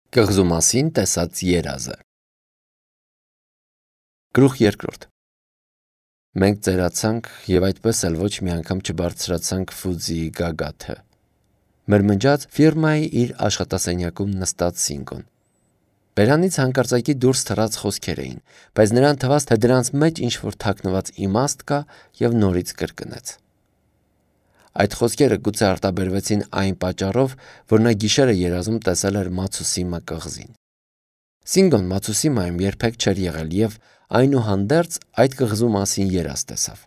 Կղզու մասին տեսած երազը։ Գլուխ 2. Մենք ծերացանք և այդպես էլ ոչ մի անգամ չբարձրացանք Ֆուձիի գագաթը, մրմնջաց ֆիրմայի իր աշխատասենյակում նստած Սինգոն։ Բերանից հանկարծակի դուրս թռած խոսքեր էին, բայց նրան թվաց, թե դրանց մեջ ինչ-որ թաքնված իմաստ կա և նորից կրկնեց։ Այդ խոսքերը գուցե արտաբերվեցին այն պատճառով, որ նա գիշերը երազում տեսել էր Մացուսիմա կղզին։ Սինգոն Մացուսիմայում երբեք չէր եղել և այնուհանդերձ այդ կղզու մասին երազ տեսավ։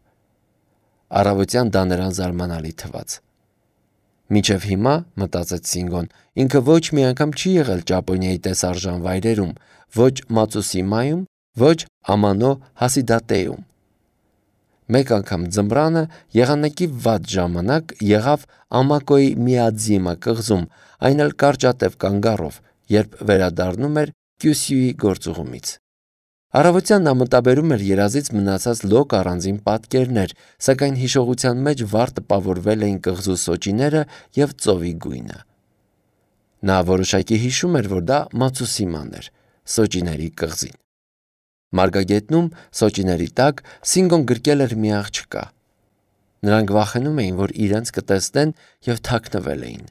Առավոտյան դա նրան զարմանալի թվաց։ Մինչև հիմա, մտածեց Սինգոն, ինքը ոչ մի անգամ չի եղել Ճապոնիայի տեսարժան վայրերում, ոչ Մացուսիմայում, ոչ Ամանո Հասիդատեում։ Մեկ անգամ ձմռանը եղանակի վատ ժամանակ եղավ Ամակոյի Միադզիմա կղզում, այն էլ կարճատև կանգառով, երբ վերադառնում էր Կյուսյուի գործուղումից։ Առավոտյան նա մտաբերում էր երազից մնացած լոկ առանձին պատկերներ, սակայն հիշողության մեջ վառ տպավորվել էին կղզու սոճիները և ծովի գույնը։ Նա որոշակի հիշում էր, որ դա Մացուսիման էր, սոճիների կղզին։ Մարգագետնում, սոճիների տակ, Սինգոն գրկել էր մի աղջկա։ Նրանք վախենում էին, որ իրենց կտեսնեն և թաքնվել էին։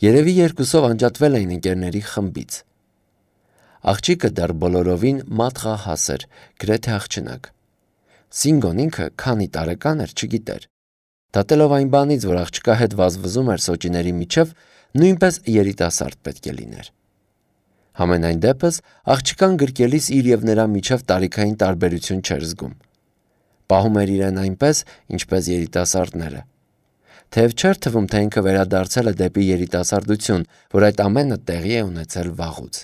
Երևի երկուսով անջատվել էին ընկերների խմբից։ Աղջիկը դեռ բոլորովին մատղահաս էր, գրեթե աղջնակ։ Սինգոն ինքը քանի տարեկան էր, չգիտեր։ Դատելով այն բանից, որ աղջկա հետ վազվզում էր սոճիների միջև, նույնպես երիտասարդ պետք է լիներ։ Համենայն դեպս, աղջկան գրկելիս իր և նրա միջև տարիքային տարբերություն չէր զգում։ Պահում էր իրեն այնպես, ինչպես երիտասարդները։ Թեև չէր թվում, թե ինքը վերադարձել է դեպի երիտասարդություն, որ այդ ամենը տեղի է ունեցել վաղուց։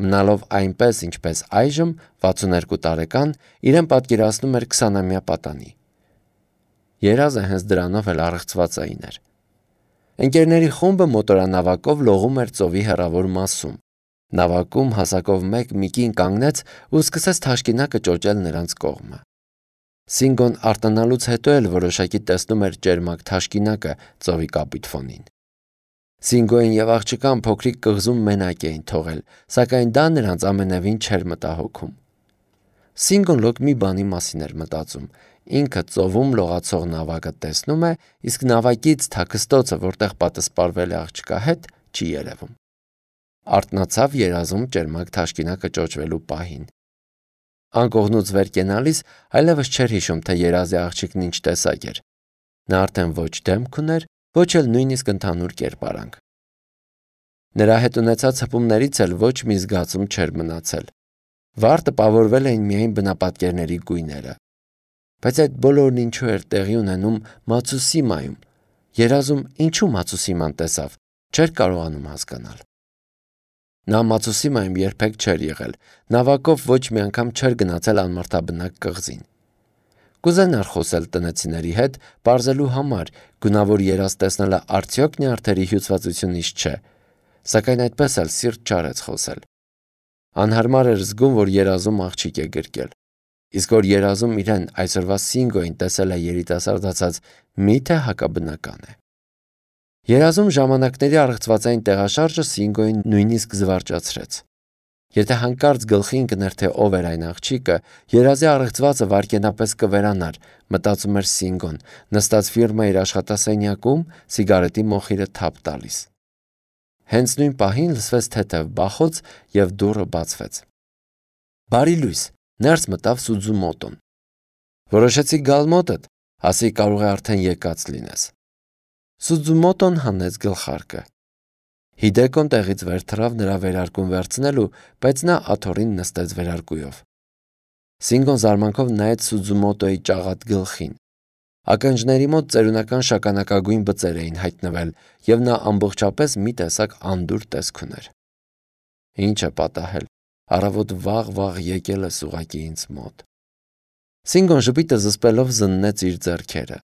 Մնալով այնպես, ինչպես այժմ, 62 տարեկան, իրեն պատկերացնում էր 20-ամյա պատանի։ Երազը հենց դրանով էլ առեղծվածային էր։ Ընկերների խումբը մոտորանավակով լողում էր ծովի հեռավոր մասում։ Նավակում հասակով մեկ մի կին կանգնեց ու սկսեց թաշկինակը ճոճել նրանց կողմը։ Սինգոն արտանալուց հետո էլ որոշակի տեսնում էր ճերմակ թաշկինակը ծովի կապիտֆոնին։ Սինգոին և աղջկան փոքրիկ կղզում մենակ էին թողել, սակայն դա նրանց ամենևին չէր մտահոգում։ Սինգոն լոկ մի բանի մասին էր մտածում։ Ինքը ծովում լողացող նավակը տեսնում է, իսկ նավակից թաքստոցը, որտեղ պատսպարվել է աղջկա հետ, չի երևում։ Արթնացավ երազում ճերմակ թաշկինակը ճոճվելու պահին։ Անկողնուց վեր կենալիս այլևս չէր հիշում, թե երազի աղջիկն ինչ տեսակ էր։ Նա արդեն ոչ դեմք ուներ, ոչ էլ նույնիսկ ընդհանուր կերպարանք։ Նրա հետ ունեցած հպումներից էլ ոչ մի զգացում չէր մնացել։ Վառ տպավորվել էին միայն բնապատկերների գույները։ Բայց այդ բոլորն ինչու էր տեղի ունենում Մացուսիմայում։ Երազում ինչու Մացուսիման տեսավ, չէր կարողանում հասկանալ։ Նա Մացուսիմայում երբեք չէր եղել, նավակով ոչ մի անգամ չէր գնացել անմարդաբնակ կղզին։ Կուզենար խոսել տնեցիների հետ, պարզելու համար, գունավոր երազ տեսնելը արդյոք նյարդերի հյուծվածությունից չէ, սակայն այդպես էլ սիրտ չարեց խոսել։ Անհարմար էր զգում, որ երազում աղջիկ է գրկել։ Իսկ որ երազում իրեն այսօրվա Սինգոին տեսել է երիտասարդացած, մի՞թե հակաբնական է։ Երազում ժամանակների առեղծվածային տեղաշարժը Սինգոին նույնիսկ զվարճացրեց։ Եթե հանկարծ գլխի ընկներ, թե ով էր այն աղջիկը, երազի առեղծվածը վայրկենապես կվերանար, մտածում էր Սինգոն, նստած ֆիրմայի իր աշխատասենյակում, սիգարետի մոխիրը թափ տալիս։ Հենց նույն պահին լսվեց թեթև բախոց և դուռը բացվեց։ Բարի լույս, ներս մտավ Սուձումոտոն։ Որոշեցի գալ մոտդ, ասի կարող է արդեն եկած լինես։ Սուձումոտոն հանեց գլխարկը։ Հիդեկոն տեղից վեր թռավ նրա վերարկուն վերցնելու, բայց նա աթոռին նստեց վերարկուով։ Սինգոն զարմանքով նայեց Սուձումոտոյի ճաղատ գլխին։ Ականջների մոտ ծերունական շագանակագույն բծեր էին հայտնվել, և նա ամբողջապես մի տեսակ անդուր տեսք ուներ։ Ինչ է պատահել, առավոտ վաղ եկել ես ուղղակի ինձ մոտ։ Սինգոն ժպիտը զսպելով զննեց իր ձեռքերը։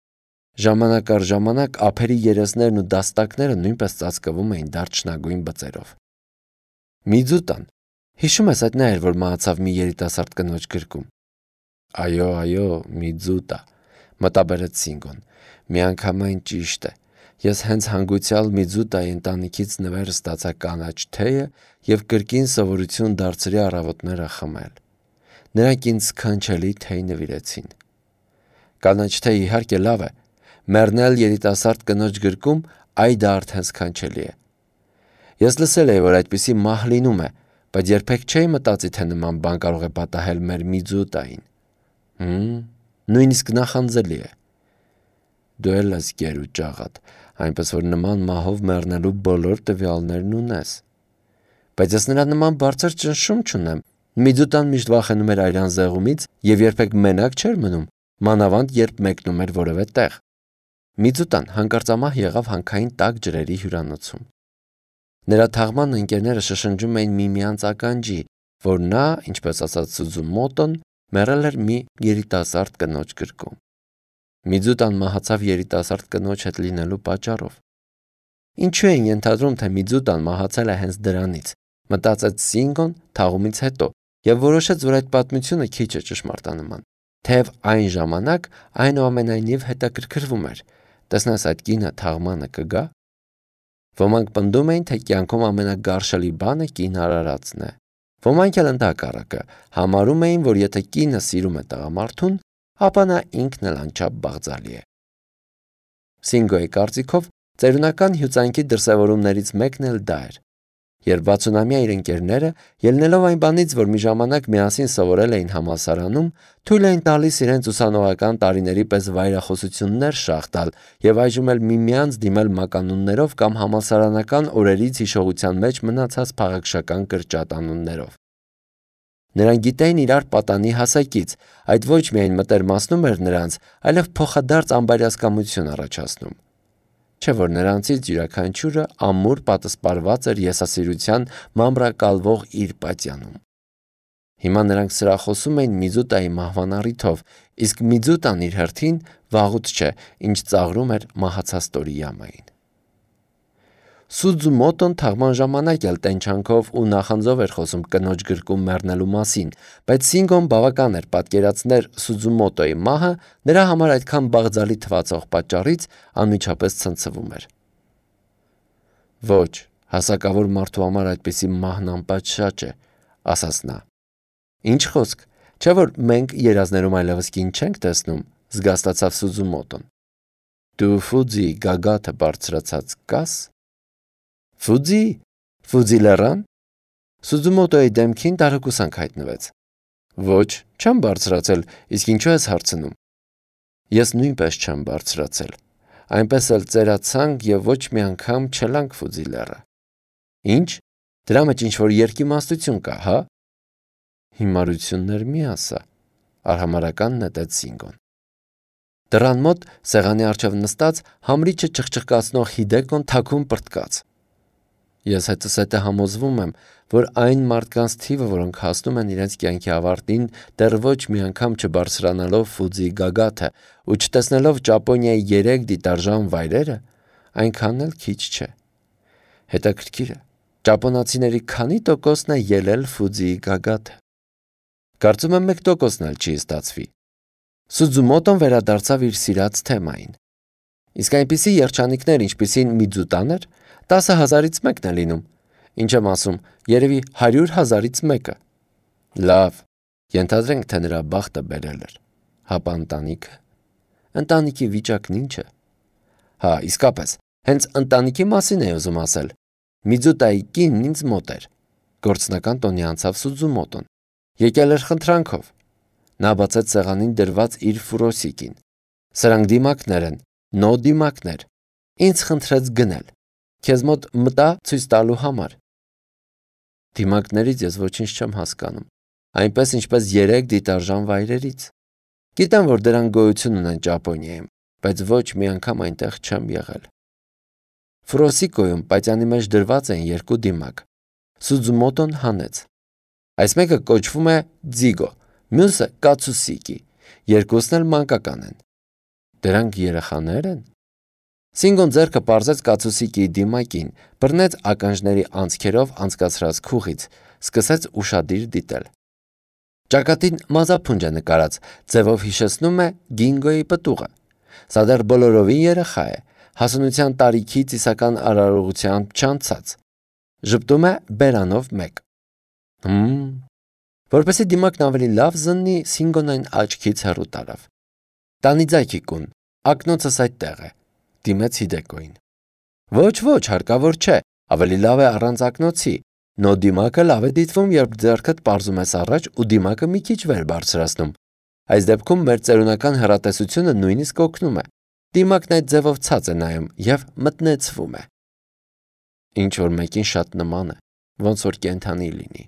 Ժամանակ առ ժամանակ ափերի երեսներն ու դաստակները նույնպես ծածկվում էին դարչնագույն բծերով։ Միձուտան, հիշում ես այդ նա էր, որ մահացավ մի երիտասարդ կնոջ գրկում։ Այո, Միձուտա, մտաբերեց Սինգոն, միանգամայն ճիշտ է։ Ես հենց հանգուցյալ Միձուտայի ընտանիքից նվեր ստացա կանաչ թեյը և կրկին սովորություն դարձրի առավոտները խմել։ Նրանք ինձ սքանչելի թեյ նվիրեցին։ Կանաչ թեյ իհարկե լավ է, մեռնել երիտասարդ կնոջ գրկում, այ դա արդեն սքանչելի է։ Ես լսել էի, որ այդպիսի մահ լինում է, բայց երբեք չէի մտածի, թե նման բան կարող է պատահել մեր Միձուտային։ Նույնիսկ նախանձելի է։ Դու էլ ես գեր ու ջաղատ, այնպես որ նման մահով մեռնելու բոլոր տվյալներն ունես։ Բայց ես նրա նման բարձր ճնշում չունեմ։ Միձուտան միշտ վախենում էր այրան զեղումից և երբեք մենակ չէր մնում, մանավանդ երբ մեկնում էր որևէ տեղ։ Միձուտան հանկարծամահ եղավ հանքային տաք ջրերի հյուրանոցում։ Նրա թաղման ընկերները շշնջում էին միմյանց ականջի, որ նա, ինչպես ասաց Սուզումոտոն, մեռել էր մի երիտասարդ կնոջ գրկում։ Միձուտան մահացավ երիտասարդ կնոջ հետ լինելու պատճառով։ Ինչու էին ենթադրում, թե Միձուտան մահացել է հենց դրանից, մտածեց Սինգոն թաղումից հետո և որոշեց, որ այդ պատմությունը քիչ է ճշմարտանման, թեև այն ժամանակ այնուամենայնիվ հետաքրքրվում էր, տեսնես այդ կինը թաղմանը կգա։ Ոմանք պնդում էին, թե կյանքում ամենագարշելի բանը կին արարածն է։ Ոմանք էլ ընդհակառակը համարում էին, որ եթե կինը սիրում է տղամարդուն, ապա նա ինքն էլ անչափ բաղձալի է։ Սինգոյի կարծիքով ծերունական հյուծանքի դրսևորումներից մեկն էլ դա էր։ Երբ 60-ամյա իր ընկերները, ելնելով այն բանից, որ մի ժամանակ միասին սովորել էին համալսարանում, թույլ էին տալիս իրենց ուսանողական տարիների պես վայրախոսություններ շաղ տալ և այժմ էլ միմյանց դիմել մականուններով կամ համալսարանական օրերից հիշողության մեջ մնացած փաղաքշական կրճատանուններով։ Նրանք գիտեին իրար պատանի հասակից, այդ ոչ միայն մտերմացնում էր նրանց, այլև փոխադարձ անբարյացկամություն առաջացնում։ Չէ՞ որ նրանցից յուրաքանչյուրը ամուր պատսպարված էր եսասիրության մամրակալվող իր պատյանում։ Հիմա նրանք սրախոսում էին Միձուտայի մահվան առիթով, իսկ Միձուտան իր հերթին վաղուց չէ, ինչ ծաղրում էր մահացած Տորիյամային։ Սուզումոտոն թաղման ժամանակ էլ տենչանքով ու նախանձով էր խոսում կնոջ գրկում մեռնելու մասին, բայց Սինգոն բավական էր պատկերացներ Սուզումոտոյի մահը նրա համար այդքան բաղձալի թվացող պատճառից անմիջապես ցնցվում էր։ Ոչ, հասակավոր մարդու համար այդպիսի մահն անպատշաճ է, ասաց նա։ Ինչ խոսք, չէ՞ որ մենք երազներում այլևս կին չենք տեսնում, զգաստացավ Սուզումոտոն։ Դու Ֆուձի գագաթը բարձրացած կաս։ Ֆուձի լեռան։ Սուզումոտոյի դեմքին տարակուսանք հայտնվեց։ Ոչ, չեմ բարձրացել, իսկ ինչու ես հարցնում։ Ես նույնպես չեմ բարձրացել։ Այնպես էլ ծերացանք և ոչ մի անգամ չելանք Ֆուձի լեռը։ Ինչ։ Դրա մեջ ինչ-որ երկիմաստություն կա, հա։ Հիմարություններ մի ասա, արհամարհական նետեց Սինգոն։ Դռան մոտ սեղանի առջև նստած համրիչը ճխճխկացնող Հիդեկոն թաքուն պրտկաց։ Ես հետս հետը համոզվում եմ, որ այն մարդկանց թիվը, որոնք հասնում են իրենց կյանքի ավարտին, դեռ ոչ մի անգամ չբարձրանալով Ֆուձի գագաթը ու չտեսնելով Ճապոնիայի 3 դիտարժան վայրերը, այնքան էլ քիչ չէ։ Հետաքրքիր է, ճապոնացիների քանի տոկոսն է ելել Ֆուձիի գագաթը։ Կարծում եմ 1% էլ չի ստացվի։ Սուզումոտոն վերադարձավ իր սիրած թեմային։ Իսկ այնպիսի երջանիկներ, ինչպիսին Միձուտան էր, 10,000-ից մեկն է լինում։ Ինչ եմ ասում, երևի 100,000-ից մեկը։ Լավ, ենթադրենք, թե նրա բախտը բերել էր։ Հապա ընտանիքը։ Ընտանիքի վիճակն ինչ է։ Հա, իսկապես, հենց ընտանիքի մասին էի ուզում ասել։ Միձուտայի կինն ինձ մոտ էր։ Գործնական տոնի անցավ Սուզումոտոն։ Եկել էր խնդրանքով։ Նա բացեց սեղանին դրված իր ֆուրոսիկին։ Սրանք դիմակներ են, նո դիմակներ։ Ինձ խնդրեց գնել։ Քեզ մոտ մտա ցույց տալու համար։ Դիմակներից ես ոչինչ չեմ հասկանում, այնպես ինչպես 3 դիտարժան վայրերից։ Գիտեմ, որ դրանք գոյություն ունեն Ճապոնիայում, բայց ոչ մի անգամ այնտեղ չեմ եղել։ Ֆուրոսիկոյում պատյանի մեջ դրված են 2 դիմակ։ Սուզումոտոն հանեց։ Այս մեկը կոչվում է ձիգո, մյուսը կացուսիկի, երկուսն էլ մանկական են։ Դրանք երեխաներ են։ Սինգոն ձեռքը պարզեց կացուսիկիի դիմակին, բռնեց ականջների անցքերով անցկացրած քուղից, սկսեց ուշադիր դիտել։ Ճակատին մազափունջ է նկարած, ձևով հիշեցնում է Գինգոյի պտուղը։ Սա դեռ բոլորովին երեխա է, հասունության տարիքից իսական արարողությամբ չանցած։ Ժպտում է բերանով մեկ։ Որպեսզի դիմակն ավելի լավ զննի, Սինգոն այն աչքից հեռու տարավ։ Տանի ձայքի կուն, ակնոցս այդտեղ է, դիմեց Հիդեկոյին։ Ոչ, հարկավոր չէ, ավելի լավ է առանց ակնոցի։ Նո դիմակը լավ է դիտվում, երբ ձեռքդ պարզում ես առաջ ու դիմակը մի քիչ վեր բարձրացնում։ Այս դեպքում մեր ծերունական հեռատեսությունը նույնիսկ օգնում է։ Դիմակն այդ ձևով ցած է նայում և մտնեցվում է։ Ինչ որ մեկին շատ նման է, ոնց որ կենդանի լինի։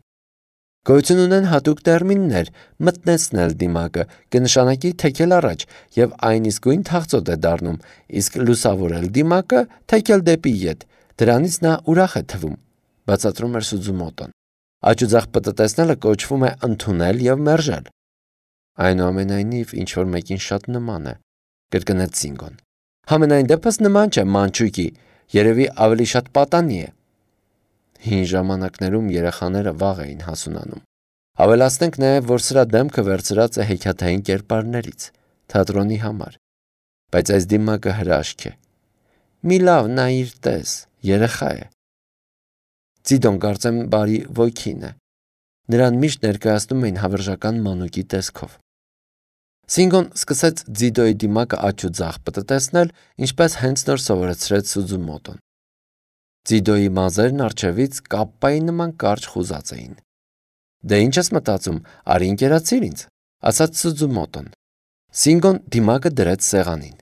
Գոյություն ունեն հատուկ տերմիններ, մտնեցնել դիմակը, կնշանակի թեքել առաջ և այն իսկույն թախծոտ է դառնում, իսկ լուսավորել դիմակը թեքել դեպի ետ, դրանից նա ուրախ է թվում, բացատրում էր Սուձումոտոն։ Աջուձախ պտտեցնելը կոչվում է ընդունել և մերժել։ Այնուամենայնիվ, ինչ որ մեկին շատ նման է, կրկնեց Սինգոն։ Համենայն դեպս նման չէ մանչուկի, երևի ավելի շատ պատանի է։ Հին ժամանակներում երեխաները վաղ էին հասունանում։ Ավելացնենք նաև, որ սրա դեմքը վերցրած է հեքիաթային կերպարներից, թատրոնի համար։ Բայց այս դիմակը հրաշք է։ Մի լավ նայիր տես, երեխա է։ Ձիդոն կարծեմ բարի ոգին է։ Նրան միշտ ներկայացնում էին հավերժական մանուկի տեսքով։ Սինգոն սկսեց Ձիդոյի դիմակը աջ ու ձախ պտտեցնել, ինչպես հենց նոր սովորեցրեց Սուձումոտոն։ Ձիդոյի մազերն առջևից կապպայի նման կարճ խուզած էին։ Դե ինչ ես մտածում, արի ընկերացիր ինձ, ասաց Սուձումոտոն։ Սինգոն դիմակը դրեց սեղանին։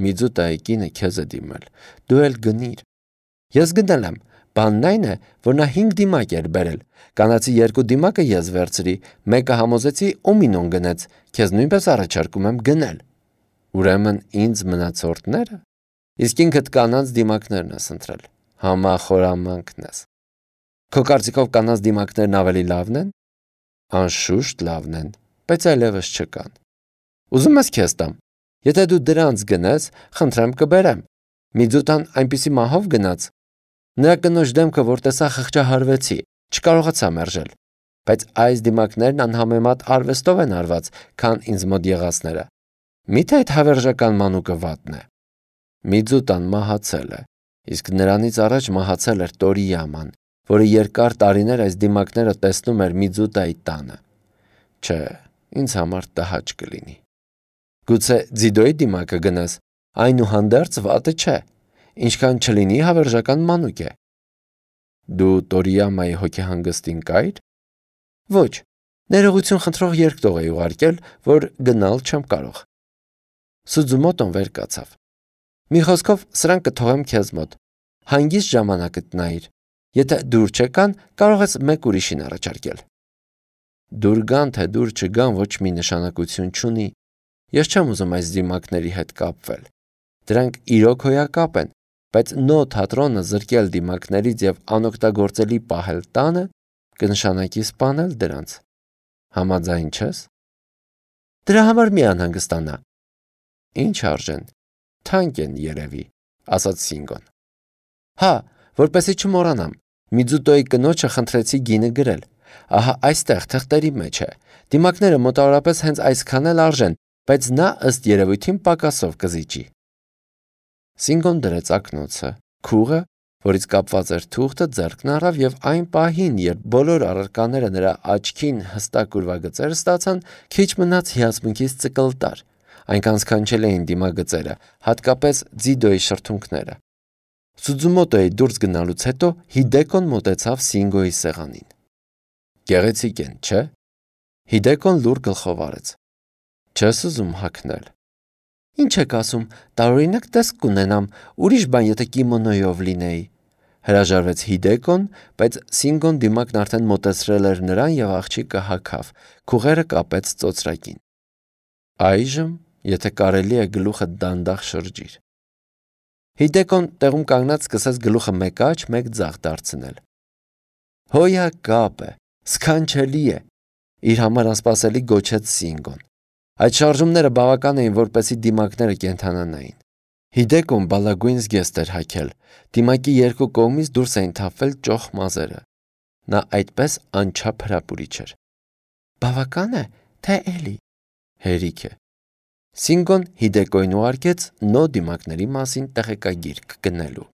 Միձուտայի կինը քեզ է դիմել, դու էլ գնիր։ Ես գնել եմ, բանն այն է, որ նա 5 դիմակ էր բերել, կանացի 2 դիմակը ես վերցրի, մեկը համոզեցի ու Մինոն գնեց, քեզ նույնպես առաջարկում եմ գնել։ Ուրեմն ինձ մնացորդները, իսկ ինքդ կանանց դիմակներն ես ընտրել, համախորամանքն ես։ Քո կարծիքով կանանց դիմակներն ավելի լավն են։ Անշուշտ լավն են, բայց այլևս չկան։ Ուզում ես քեզ տամ։ Եթե դու դրանց գնես, խնդրեմ կբերեմ։ Միձուտան այնպիսի մահով գնաց։ Նրա կնոջ դեմքը որ տեսա խղճահարվեցի, չկարողացա մերժել։ Բայց այս դիմակներն անհամեմատ արվեստով են արված, քան ինձ մոտ եղածները։ Միթե այդ հավերժական մանուկը վատն է։ Միձուտան մահացել է, իսկ նրանից առաջ մահացել էր Տորիյաման, որը երկար տարիներ այս դիմակները տեսնում էր Միձուտայի տանը։ Չէ, ինձ համար տհաճ կլինի։ Գուցե Ձիդոյի դիմակը գնես, այնուհանդերձ վատը չէ, ինչքան չլինի հավերժական մանուկ է։ Դու Տորիյամայի հոգեհանգստին կայր։ Ոչ, ներողություն խնդրող երկտող էի ուղարկել, որ գնալ չեմ կարող։ Սուձումոտոն վեր կացավ։ Մի խոսքով սրանք կթողեմ քեզ մոտ։ Հանգիստ ժամանակդ նայիր։ Եթե դուր չեկան, կարող ես մեկ ուրիշին առաջարկել։ Դուր գան, թե դուր չգան, ոչ մի նշանակություն չունի։ Ես չեմ ուզում այս դիմակների հետ կապվել։ Դրանք իրոք հոյակապ են, բայց նո թատրոնը զրկել դիմակներից և անօգտագործելի պահել տանը կնշանակի սպանել դրանց։ Համաձայն չես։ Դրա համար մի անհանգստանա։ Ինչ արժեն, թանկ են երևի, ասաց Սինգոն։ Հա, որպեսզի չմոռանամ, Միձուտոյի կնոջը խնդրեցի գինը գրել։ Ահա այստեղ թղթերի մեջ է։ Դիմակները մոտավորապես հենց այսքան էլ արժեն, բայց նա ըստ երևույթին պակասով կզիջի։ Սինգոն դրեց ակնոցը, քուղը, որից կապված էր թուղթը, ձեռքն առավ և այն պահին, երբ բոլոր առարկաները նրա աչքին հստակ ուրվագծեր ստացան, քիչ մնաց հիացմունքից ծկլտար։ Այնքան սքանչել էին դիմագծերը, հատկապես Ձիդոյի շրթունքները։ Սուձումոտոյի դուրս գնալուց հետո Հիդեկոն մոտեցավ Սինգոյի սեղանին։ Գեղեցիկ են, չէ՞։ Հիդեկոն լուր գլխով արեց։ Չես ուզում հագնել։ Ինչ եք ասում, տարօրինակ տեսք կունենամ, ուրիշ բան եթե կիմոնոյով լինեի։ Հրաժարվեց Հիդեկոն, բայց Սինգոն դիմակն արդեն մոտեցրել էր նրան և աղջիկը հագավ, քուղերը կապեց ծոծրակին։ Այժմ, եթե կարելի է, գլուխը դանդաղ շրջիր։ Հիդեկոն տեղում կանգնած սկսեց գլուխը մեկ աջ, մեկ ձախ դարձնել։ Հոյակապ է, սքանչելի է, իր համար անսպասելի գոչեց Սինգոն։ Այդ շարժումները բավական էին, որպեսզի դիմակները կենդանանային։ Հիդեկոն բալագույն զգեստ էր հագել, դիմակի երկու կողմից դուրս էին թափվել ճոխ մազերը։ Նա այդպես անչափ հրապուրիչ էր։ Բավական է, թե էլի։ Հերիք է։ Սինգոն Հիդեկոյին ուղարկեց նո դիմակների մասին տեղեկագիր գնելու։